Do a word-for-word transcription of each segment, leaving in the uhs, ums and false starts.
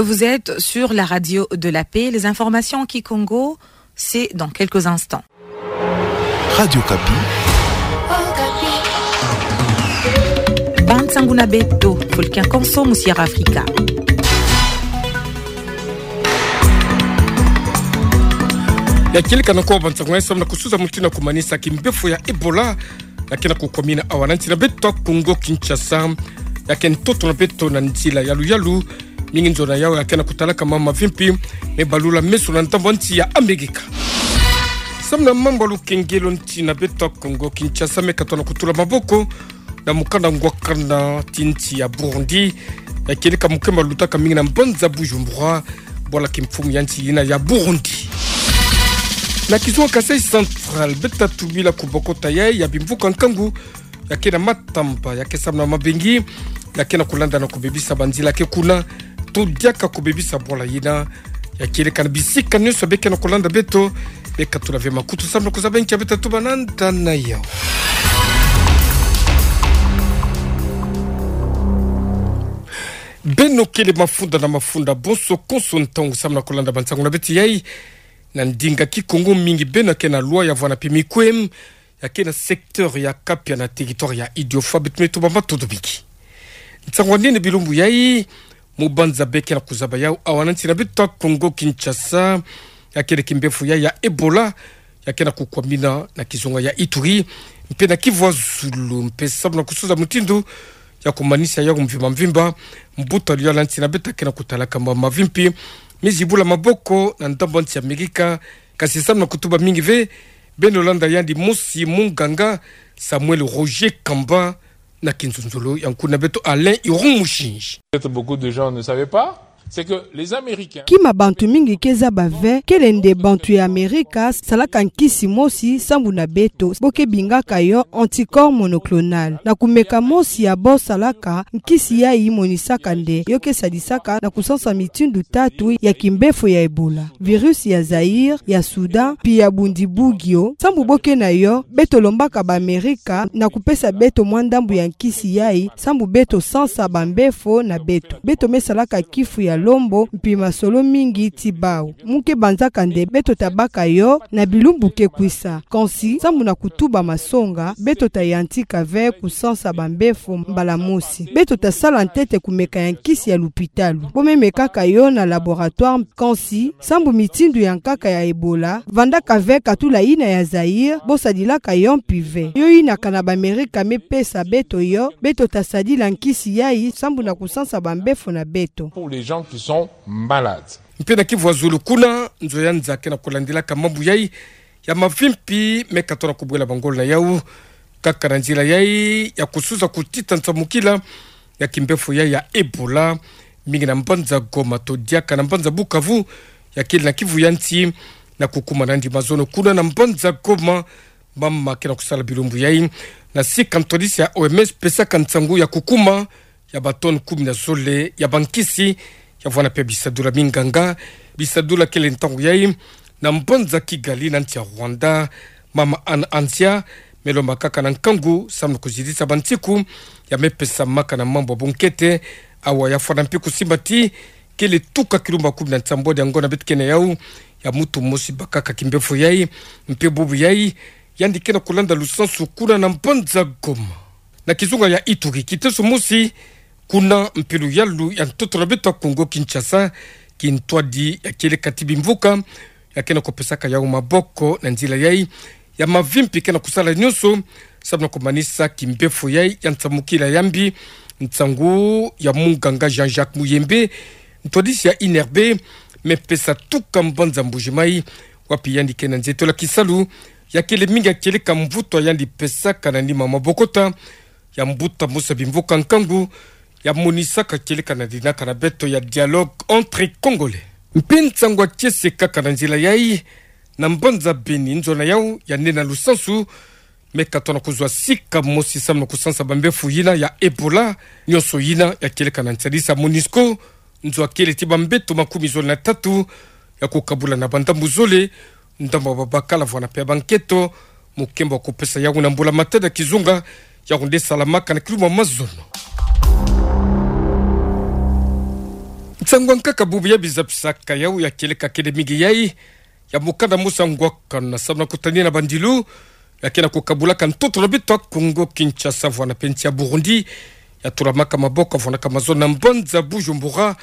Vous êtes sur la radio de la paix. Les informations en kikongo, c'est dans quelques instants. Radio Okapi. Bansangu na beto, fulu kia konso mu Sierra Africa. Ya kieleka nako bansangu ya samu na kusuza mutindu ya kumanisa kimbefo ya Ebola ya ke na kukwamina awa na nsi na beto Kongo Kinshasa. Ya ke ntoto na beto na nzila yalu yalu, mingi nzo na yau ya ke na kutalaka mama mavimpi me balula meso na ndambu nsi ya Amerika. Samu na mambu ya lukengelo, nsi na beto Kongo Kinshasa me katona kutula maboko na mukanda ngwakana ti nsi ya Burundi. Ya kieleka mukemba lutaka mingi na mbanza Bujumbura, bwala kimfumu ya nsi yina ya Burundi. Na kizunga Kasaï Central, beto ta tubila kubokota ya, ya bimvuka nkangu ya ke na matamba, ya ke samu na mabengi, ya ke na kulanda na kubebisa banzila ya ke kuna, to diaka kubebisa bwala yina. Ya kieleka na bisika nyonso be ke na kulanda beto, be katula ve makutu samu na kuzaba nki ya beto ta tuba na nda na yau. Beno kele mafunda na mafunda, bonso konso ntangu samu na kulanda bansangu na beto yai na ndinga Kikongo, mingi beno ke na lwa ya vwanda mpe mikwe ya ke na secteur ya Kapia na territoire ya Idiofa, beto me tuba matondo mingi. Nsangu ya nene bilumbu yai, mu banza be ke na kuzaba yau awa na nsi na beto Kongo Kinshasa, ya kele kimbefo ya, ya Ebola, ya ke na kukwamina na kizunga ya Ituri mpe na Kivu ya Zulu. Mpe samu na kusuza mutindu ya kumanisa yau mvimba mvimba, mbuta luyala nsi na beto ke na kutalaka mama mavimpi me zibula maboko na ndambu nsi ya Amerika. Kasi samu na kutuba mingi ve, beno landa yandi mosi munganga Samuel Roger Kamba na kinzonzolo ya nkuna beto Alain Irung Mushinji. Peut-être beaucoup de gens ne savaient pas, c'est que les Américains... Kima bantu mingi ke zaba ve, kele nde bantu ya Amerika salaka nkisi mosi sambu na beto, bo ke bingaka yo anticorps monoclonal. Na kumeka mosi ya bo salaka, nkisi yai monisaka nde yo ke sadisaka na kusansa mitindu tatu ya kimbefo ya Ebola: virus ya Zaïre, ya Soudan, mpi ya Bundibugyo. Sambu bo ke na yo, beto lombaka ba Amerika na kupesa beto mwa ndambu ya nkisi yai sambu beto sansa bambefo na beto. Beto me salaka kifu ya lombo mpi masolo mingi ti bau. Mu ke banzaka nde beto ta baka yo na bilumbu ke kwisa. Kansi, sambu na kutuba masonga, beto ta yantika ve kusansa bambefo mbala mosi. Beto ta sala ntete kumeka ya nkisi ya lupitalu. Bo me mekaka yo na laboratoire, kansi sambu mitindu ya nkaka ya Ebola vandaka ve katula yina ya Zaïre, bo sadilaka yo mpi ve. Yo yina kana ba Amerika me pesa beto yo, beto ta sadila nkisi yai sambu na kusansa bambefo na beto. Pour les gens qui sont malades. Mpe na Kivu ya Zulu kuna, nzo ya nza ke na kulandilaka mambu yai ya mavimpi me katona kubwela bangolo na yau, kaka na nzila yai ya kusuza kutita nsamukila ya kimbefo yai ya Ebola, mingi na mbanza Goma to diaka na mbanza Bukavu, ya kele na Kivu ya nsi, na kukuma nandi mazono kuna na mbanza Goma. Mama ke na kusala bilumbu yai na sika ntwadisi ya O M S pesaka nsangu ya kukuma ya ba tonnes kumi na zole ya bankisi ya vwanda mpe bisadula minganga. Bisadula kele ntangu yai na mbanza Kigali na nsi ya Rwanda. Mama Anne Anzia me lomba kaka na nkangu samu na kuzitisa bansiku ya me pesamaka na mambu ya bunkete. Awa ya fwana mpe kusimba ti kele tuka kilumbu kumi na nsambwadi ya ngonda beto ke na yau ya mutu mosi bakaka kimbefo yai. Mpe bubu yai, yandi ke na kulanda lusansu kuna na mbanza Goma. Na kizunga ya Ituri, kiteso mosi kuna mpe luyalu ya ntoto na beto ya Kongo Kinshasa, kintwadi ya kieleka ti bimvuka ya ke na kupesaka yau maboko na nzila yai ya mavimpi ke na kusala nyonso samu na kumanisa kimbefo yai ya nsamukila ya mbi. Nsangu ya munganga Jean-Jacques Muyembe, ntwadisi ya I N R B, me pesa tuka mbanza Mbuji-Mayi, wapi yandi ke na nzetola kisalu ya kele mingi ya kieleka mvutu ya yandi pesaka na nima mabokota ya mbuta mosi ya bimvuka nkangu ya monisaka kieleka na dinaka na beto ya dialogue entre Congolais. Mpe nsangu ya kiese kaka na nzila yai, na mbanza Beni, nzo na yau ya nene na lusansu me katona kuzwa sika mosi samu na kusansa bambefu yina ya Ebola. Nyonso yina ya kieleka na nsadisa MONUSCO, nzo ya kele ti bambeto makumi zole na tatu ya kukabula na bandambu zole, ndambu ya babakala vwanda mpe ya banketo, mukembo wa kupesa yau na mbula-matadi ya kizunga, yau nde salamaka na kilumbu ya mazono. Nsangu ankaka bubu ya biza pisaka yau ya kieleka kele mingi yai, ya mokana mosi ngwakana samu na kutani na bandilu ya kena kukabulaka ntoto na beto ya Kongo Kinshasa vwana pe nsi ya Burundi, ya tulamaka maboko vwanaka mazono na mbanza Bujumbura,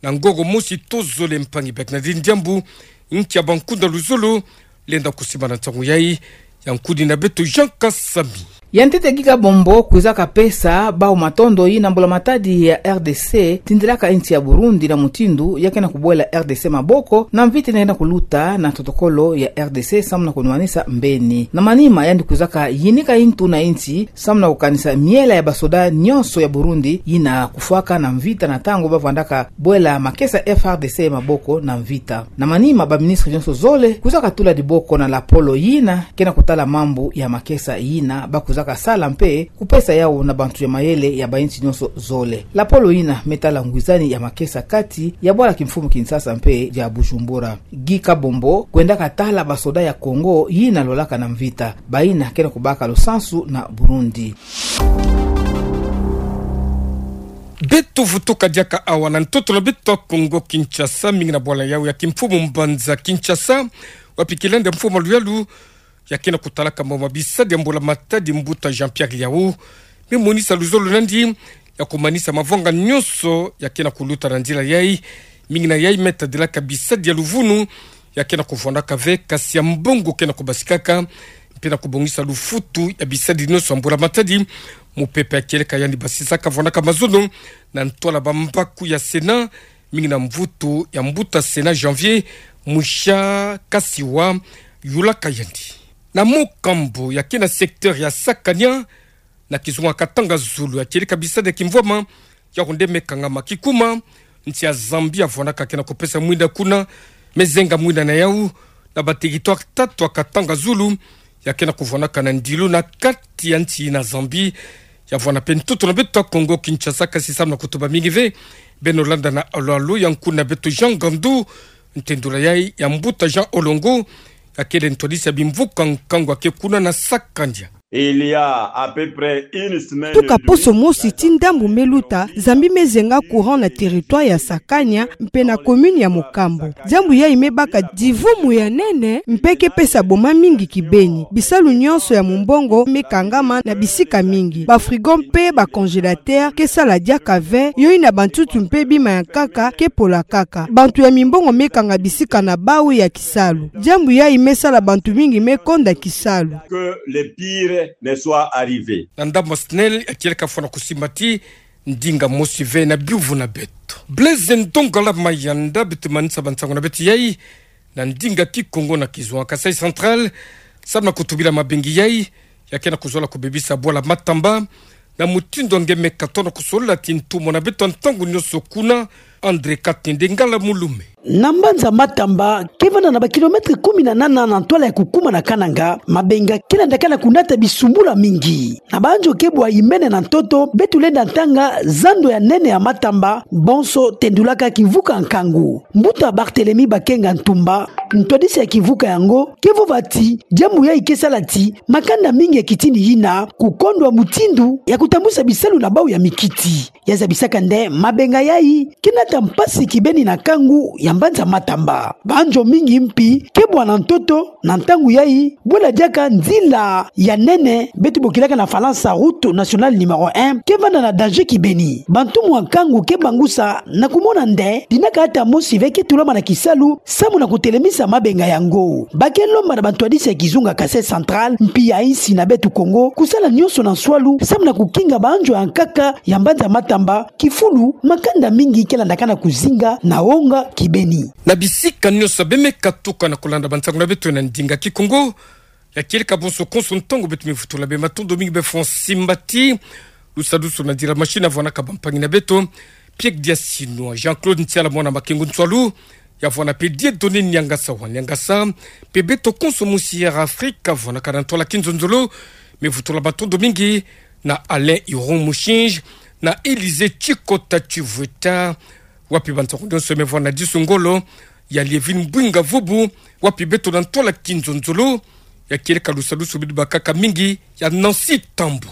na ngongo mosi tozole mpangi bek na diambu nki ya bankunda luzolo lenda kusimba na nsangu yai. Ya nkudi na beto Jean Kasami. Ya ntete Guy Kabombo kwizaka pesa bau matondo yina mbula matadi ya R D C tindilaka nsi ya Burundi na mutindu ya kena kubwela R D C maboko na mvita yina kena kuluta na totokolo ya R D C samu na kunwanisa mbeni. Na manima yandi kwizaka yinika ntu na nsi samu na kukanisa miela ya basoda nyonso ya Burundi yina kufwaka na mvita na ntangu bavwandaka bwela makesa F A R D C maboko na mvita. Na manima baministre nyonso zole kwizaka tula diboko na lapolo yina kena kutala mambu ya makesa yina bakwizaka sala mpe kupesa yau na bantu ya mayele ya bansi nyonso zole. Lapolo yina me tala ngwizani ya makesa kati ya bwala kimfumu Kinshasa mpe ya Bujumbura. Guy Kabombo kwendaka tala basoda ya Kongo yina lolaka na mvita, bayina kena kubaka lusansu na Burundi. Beto vutuka diaka awa na ntoto na beto ya Kongo Kinshasa, mingi na bwala yau ya kimfumu mbanza Kinshasa, wapi kilenda mfumu Luyalu ya kena kutalaka mama bisadi ya mbula matadi, mbuta Jean-Pierre Liau me monisa luzolo nandi ya kumanisa mavanga nyonso ya kena kuluta na nzila yai. Mingi na yai me tadilaka bisadi ya luvunu ya kena kuvwandaka ve, kasi ya mbongo kena kubasikaka, mpe na kubongisa lufutu ya bisadi nyonso ya mbula matadi. Mupepe ya kieleka yandi basisaka vwandaka mazono na ntwala bambaku ya Sénat, mingi na mvutu ya mbuta Sénat Janvier Mushakasiwa yulaka yandi. Na mokambu ya kena secteur ya Sakania, na kizunga Katanga Zulu, ya kieleka bisadi ya kimvwama yau nde me kangama kikuma. Nsi ya Zambie ya vwandaka kena kupesa mwinda kuna, me zenga mwinda na yau na ba territoire tatu ya Katanga Zulu ya kena kuvwandaka na ndilu na kati ya nsi na Zambie. Ya vwanda mpe ntoto na beto ya Kongo Kinshasa, kasi samu na kutuba mingi ve, beno landa na alo alo ya nkuna beto Jean Gandu, ntendula yai ya mbuta Jean Olongo ya kele ntwadisi ya bimvuka nkangu ya ke kuna na Sakania. Il y a à peu près une semaine. Tuka poso mosi ti ndambu me luta, Zambie me zenga courant na territoire ya Sakania mpe na commune ya Mokambo. Diambu yai me baka divumu ya nene mpe ke pesa boma mingi kibeni. Bisalu nyonso ya mumbongo me kangama na bisika mingi. Ba frigo mpe ba congélateur ke sala diaka ve, yo yina bantutu mpe bima ya nkaka ke pola kaka. Bantu ya mimbongo me kanga bisika na bau ya kisalu. Diambu yai me sala bantu mingi me konda kisalu. Que le pire ne soit arrivé. Na ndambu ya SNEL, ya kieleka fwana kusimba ti ndinga mosi ve na biyuvu na beto. Blaise Ndongala Mayanda, beto manisa bansangu na beto yai na ndinga Kikongo na kizunga Kasaï Central, samu na kutubila mabenga yai ya kena kuzola kubebisa bwala Matamba, na mutindu nge me katono kusola ti ntumo na beto ntangu nyonso kuna. André Katende Ngala Mulume. Na mbanza Matamba, ke vanda na ba kilomètre kumi na nana na ntwala ya kukuma na Kananga, mabenga ke landakana kunata bisumbula mingi. Na banzo ke bwa imbene na ntoto, beto lenda ntanga zando ya nene ya Matamba, bonso tendulaka kivuka nkangu. Mbuta Barthélemy Bakenga Ntumba, ntwadisi ya kivuka yango, ke vova ti diambu yai ke sala ti makanda mingi ya kitini yina kukondwa mutindu ya kutambwisa bisalu na bau ya mikiti. Ya zabisaka nde mabenga yai ke nata mpasi kibeni na nkangu ya mbanza Matamba. Banzo mingi mpi ke bwa na ntoto na ntangu yai, bwela diaka nzila ya nene beto bokilaka na Falansa route nationale numéro un ke vanda na danger kibeni. Bantumwa nkangu ke bangusa na kumona nde dina kaka mosi ve ke tulama na kisalu samu na kutelemisa mabenga yango. Ba ke lomba na bantwadisi ya kizunga Kasaï Central mpi ya insi na beto Kongo kusala nyonso na nswalu samu na kukinga banzo ya nkaka ya mbanza Matamba, kifulu makanda mingi ke landakana kuzinga na onga kibeni. Na bisika nyonso be me katuka na kulanda bansangu na beto na ndinga Kikongo, ya kieleka bonso konso ntangu beto me vutula bê matondo mingi bê François Mbati, lusadusu na nzila machine ya vwanaka bampangi na beto, Pierre Diasino, Jean-Claude Ntiala mwana Makengo Nswalu, ya vwana mpe Dieudonné Niangasa wa Niangasa, mpe beto konso musi Air Afrique, vwanaka na ntwala kinzonzolo, me vutula matondo mingi na Alain Iron Mushinji, na Élisée Chikota Chivueta, wapi bansangu nyonso me vwana disu ngolo, ya Lievine Mbwinga Vubu, wapi beto na ntwala kinzonzolo, ya kieleka lusadusu bidi bakaka mingi, ya Nancy Tambu.